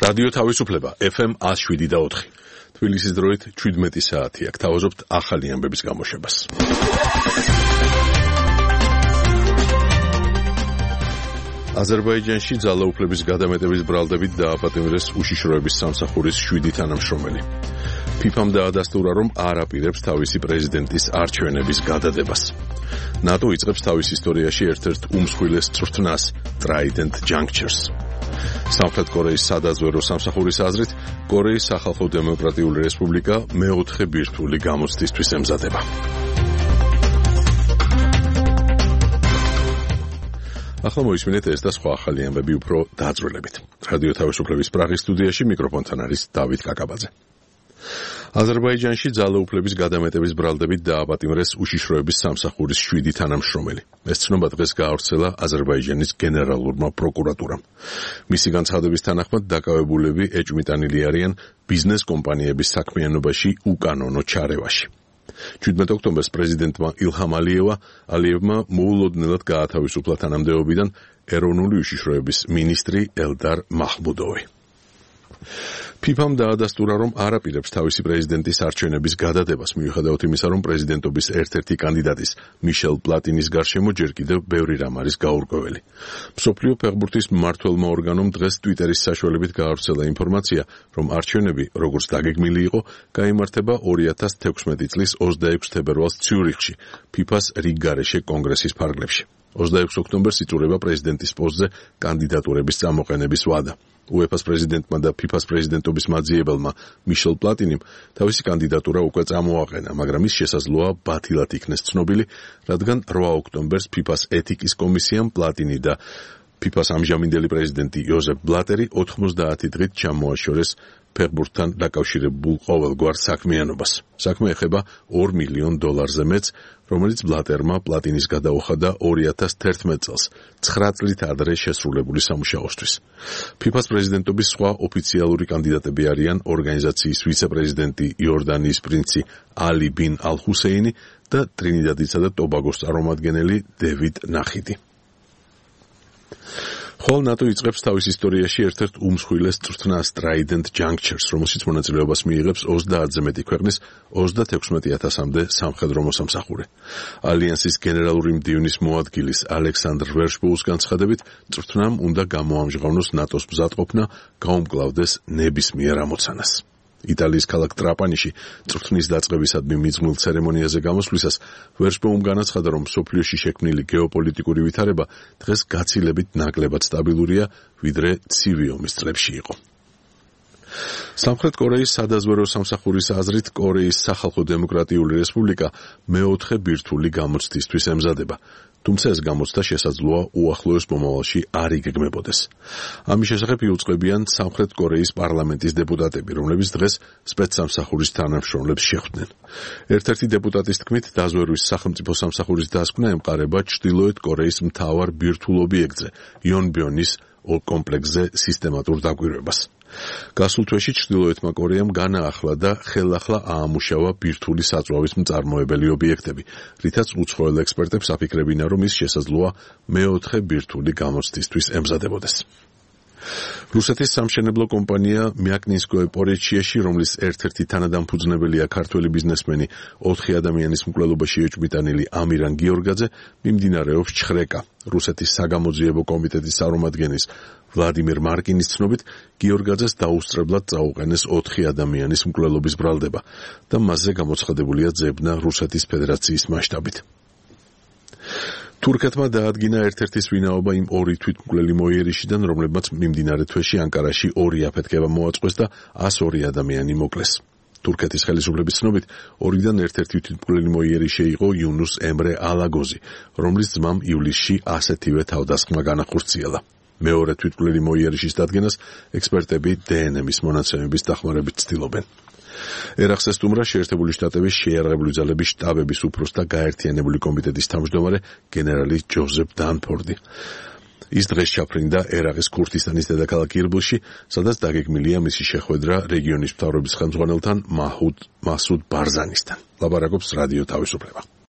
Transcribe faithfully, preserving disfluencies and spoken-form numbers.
რადიო თავისუფლება ეფ ემ one oh seven და four. თბილისის დროით seventeen საათი აქ თავაზობთ ახალი ამბების გამოშვებას. აზერბაიჯანში ძალაუფლების გადამეტების ბრალდებით დააპატიმრეს უშიშროების სამსახურის შვიდი თანამშრომელი. ფიფამ დაადასტურა, რომ არ აპირებს თავისი პრეზიდენტის არჩევნების გადადებას. ნატო იწყებს თავის ისტორიაში ერთ-ერთ უმსხვილეს წვრთნას Trident Junctures. სამხრეთ კორეის სადაზვერო სამსახურის აზრით, კორეის სახალხო დემოკრატიული რესპუბლიკა მეოთხე ბირთვული გამოცდისთვის ემზადება. ახლა მოისმინეთ ეს და სხვა ახალი ამბები უფრო დაძვრილებით. რადიო თავისუფლების პრაღის სტუდიაში მიკროფონთან არის დავით კაკაბაძე. აზერბაიჯანში ძალაუფლების გადამეტების ბრალდებით დააპატიმრეს უშიშროების სამსახურის შვიდი თანამშრომელი. ეს ცნობა დღეს გაავრცელა აზერბაიჯანის გენერალურმა პროკურატურამ. მისი განცხადების თანახმად დაკავებულები ეჭვმიტანილი არიან ბიზნეს კომპანიების საქმიანობაში უკანონო ჩარევაში. seventeen ოქტომბერს პრეზიდენტმა ილჰამ ალიევა ალიევმა მოულოდნელად გაათავისუფლა თანამდებობიდან ეროვნული უშიშროების მინისტრი ელდარ მაჰმუდოვი. ფიფამ დაადასტურა, რომ არ აპირებს თავისი პრეზიდენტის არჩევნების გადადებას, მიუხედავად იმისა, რომ პრეზიდენტობის ერთ-ერთი კანდიდატის მიშელ პლატინის გარშემო ჯერ კიდევ ბევრი რამ არის გაურკვეველი. მსოფლიო ფეხბურთის მმართველმა ორგანომ დღეს ტვიტერის საშუალებით გაავრცელა ინფორმაცია, რომ არჩევნები, როგორც დაგეგმილი იყო, გაიმართება two thousand sixteen წლის twenty-six თებერვალს ციურიხში, ფიფას რიგგარეშე კონგრესის ფარგლებში. twenty-six ოქტომბერს იწურება პრეზიდენტის პოსტზე კანდიდატურების წამოყენების ვადა. უეფას პრეზიდენტმა და ფიფას პრეზიდენტობის მაძიებელმა მიშელ პლატინიმ თავისი კანდიდატურა უკვე წამოაყენა, მაგრამ ის შესაძლოა ბათილად იქნეს ცნობილი, რადგან eight ოქტომბერს ფიფას ეთიკის კომისიამ პლატინი და ფიფას ამჟამინდელი პრეზიდენტი იოზეფ ბლატერი ninety დღით ჩამოაშორეს ფეხბურთთან დაკავშირებულ ყოველგვარ საქმიანობას. საქმე ეხება two მილიონ დოლარზე მეც, რომელიც ბლატერმა პლატინის გადაუხადა two thousand eleven წელს, nine წლით ადრე შესრულებული სამუშაოსთვის. ფიფას პრეზიდენტობის სხვა ოფიციალური კანდიდატები არიან ორგანიზაციის ვიცე-პრეზიდენტი იორდანიის პრინცი ალი ბინ ალ-ჰუსეინი და ტრინიდადისა და ტობაგოს წარმომადგენელი დევიდ ნახიდი. ხოლო ნატო იწყებს თავის ისტორიაში ერთ-ერთ უმსხვილეს წვრთნას Trident Junctures, რომელშიც მონაწილეობას მიიღებს ოცდაათზე მეტი ქვეყნის ოცდათექვსმეტი ათასამდე სამხედრო მოსამსახური. ალიანსის გენერალური მდივნის მოადგილის ალექსანდრ ვერშბოუს განცხადებით, წვრთნამ უნდა გამოამჟღავნოს ნატოს მზადყოფნა, გაუმკლავდეს ნებისმიერ ამოცანას. იტალიის ქალაქ ტრაპანიში წვრთნის დაწყებისადმი მიძღვნილ ცერემონიაზე გამოსვლისას ვერშბოუმ განაცხადა, რომ მსოფლიოში შექმნილი გეოპოლიტიკური ვითარება დღეს გაცილებით ნაკლებად სტაბილურია, ვიდრე ცივი ომის წლებში იყო. სამხრეთ კორეის სადაზვერო სამსახურის აზრით, კორეის სახალხო დემოკრატიული რესპუბლიკა მეოთხე ბირთვული გამოცდისთვის ემზადება. თუმცა ეს გამოცდა შესაძლოა უახლოეს მომავალში არ იგეგმებოდეს. ამის შესახებ იუწყებიან სამხრეთ კორეის პარლამენტის დეპუტატები, რომლებიც დღეს სპეცსამსახურის თანამშრომლებს შეხვდნენ. ერთ-ერთი დეპუტატის თქმით, დაზვერვის სახელმწიფო სამსახურის დასკვნა ემყარება ჩრდილოეთ კორეის მთავარ ბირთვულ ობიექტზე, იონბიონის კომპლექსზე სისტემატურ დაკვირვებას. გასულ თვეში ჩრდილოეთმა კორეამ განაახლა და ხელახლა აამუშავა ბირთვული საწვავის მწარმოებელი ობიექტები, რითაც უცხოელ ექსპერტებს აფიქრებინა, რომ ის შესაძლოა მეოთხე ბირთვული გამოცდისთვის ემზადებოდეს. რუსეთის სამშენებლო კომპანია მიაკნინსკოე პორეჩიაში, რომლის ერთ-ერთი თანადამფუძნებელია ქართველი ბიზნესმენი ოთხი ადამიანის მკვლელობაში ეჭვმიტანილი ამირან გიორგაძე, მიმდინარეობს ჩხრეკა. რუსეთის საგამოძიებო კომიტეტის წარმომადგენლის ვლადიმერ მარკინის ცნობით, გიორგაძეს დაუსწრებლად წაუყენეს ოთხი ადამიანის მკვლელობის ბრალდება და მასზე გამოცხადებულია ძებნა რუსეთის ფედერაციის მასშტაბით. თურქეთმა დაადგინა ერთ-ერთის ვინაობა იმ ორი თვითმკვლელი მოიერიშიდან, რომლებმაც მიმდინარე თვეში ანკარაში ორი აფეთქება მოაწყვეს და one oh two ადამიანი მოკლეს. თურქეთის ხელისუფლების ცნობით, ორიდან ერთ-ერთი თვითმკვლელი მოიერიშე იყო იუნუს ემრე ალაგოზი, რომლის ძმამ ივლისში ასეთივე თავდასხმა განახორციელა. მეორე თვითმკვლელი მოიერიშის დადგენას ექსპერტები დე ენ ემის მონაცემების დახმარებით ცდილობენ. ერახს ესტუმრა შეერთებული შტატების შეიარაღებული ძალების შტაბების უფროსთა გაერთიანებული კომიტეტის თავმჯდომარე გენერალი ჯოზეფ დანფორდი. ის დღეს ჩაფრინდა ერაყის ქურთისტანის დედაქალაქ ირბილში, სადაც დაგეგმილია მისი შეხვედრა რეგიონის მთავრობის ხელმძღვანელთან მაჰუდ მასუდ ბარზანისთან. ლაპარაკობს რადიო თავისუფლება.